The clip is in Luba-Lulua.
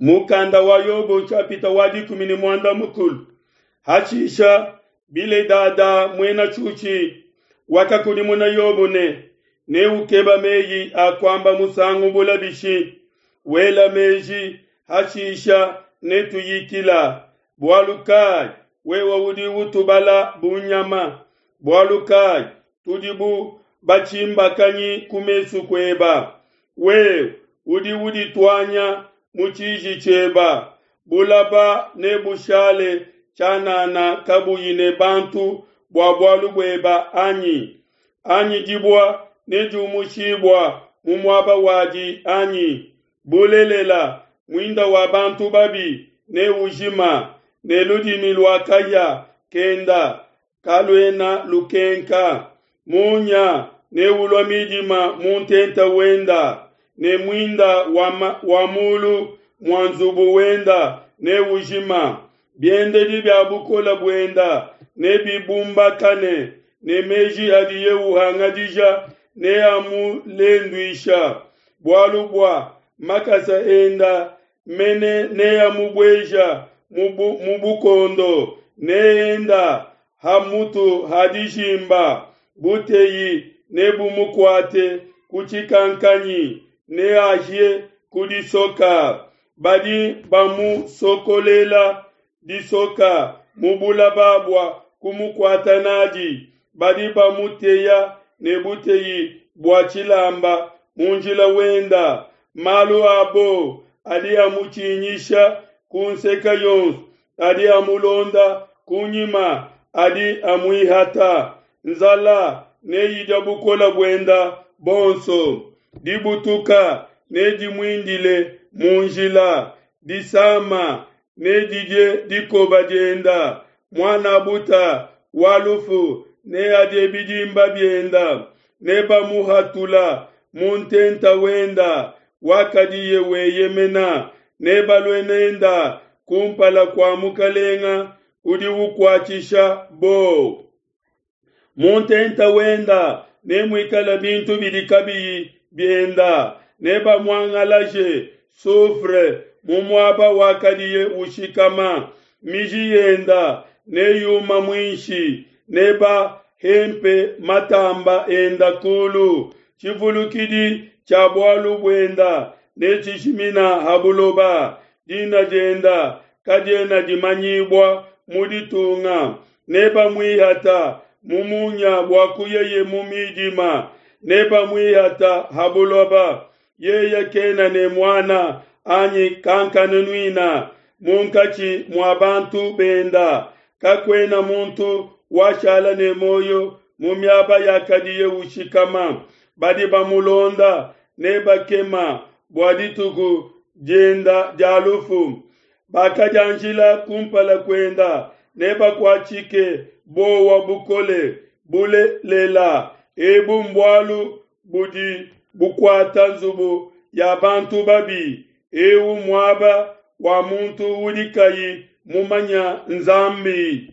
Mukanda wa Yobo nshapita wa 13. Hashisha Biledada muena Tshushi wakakudimuna Yobo ne, Neukeba meyi a kuamba musangu bula bishi? Wela meji, hashisha netuyikila. Bualu kai wewe udi utubala bu nyama? Bualu kai tudi bu batshimbakanyi ku mesu kueba? Wewe udi udituanya mu tshiji tshieba, bulaba nebushale tshianana kabuyi ne bantu bua bualu bueba anyi? Anyi dibua nediumushibua mu muaba wadi anyi? Bulelela, muinda wa bantu babi neujima, ne ludimi lua kahia kenda kaluena lukenka. Munya neulua midima mu ntenta wenda, ne muinda wa, wa mulu mua nzubu wenda neujima. Biendedi bia bukole buenda nebibumbakane, ne meji adiye uhangadija neamulenduisha. Bualu bua makasa enda mene neamubueja mu bukondo, neenda ha mutu ha dijimba. Buteyi nebumukuate ku tshikankanyi, neahie ku disoka. Badi bamusokolela disoka mu bulaba bua kumukuata nadi, badi bamuteya ne buteyi bua tshilamba mu njila wenda. Malu abo adi amutshinyisha ku nseka yonso, adi amulonda kunyima, adi amuihata. Nzala neyidia bukola buenda bonso, dibutuka nedimuindile mu njila, disama nedidie dikoba dienda, muana buta wa lufu neadie bidimba bienda, nebamuhatula mu ntenta wenda wakadiye weyemena, nebalue nenda kumpala kua mukalenga udi ukuatshisha bowa. Mu ntenta wenda nemuikale bintu bidi kabiyi bienda, nebamuangalaje soufre mu muaba wakadiye ushikama, miji yenda neyuma muinshi, nebahempe matamba enda kulu. Tshivulukidi tshia bualu buenda netshijimina ha buloba, dina dienda kadiena dimanyibua mu ditunga. Nebamuihata mu munya bua kuyeye mu midima, nebamuihata ha buloba. Yeye kena ne muana anyi kankanunuina munkatshi mua bantu benda, kakuena muntu washala ne muoyo mu miaba yakadiye ushikama. Badi bamulonda nebakema bua dituku dienda dia lufu. Bakadianjila kumpala kuenda nebakuatshike bowa bukole. Bulelela, ebu mbualu budi bukuata nzubu ya bantu babi, eu muaba wa muntu udi kayi mumanya Nzambi.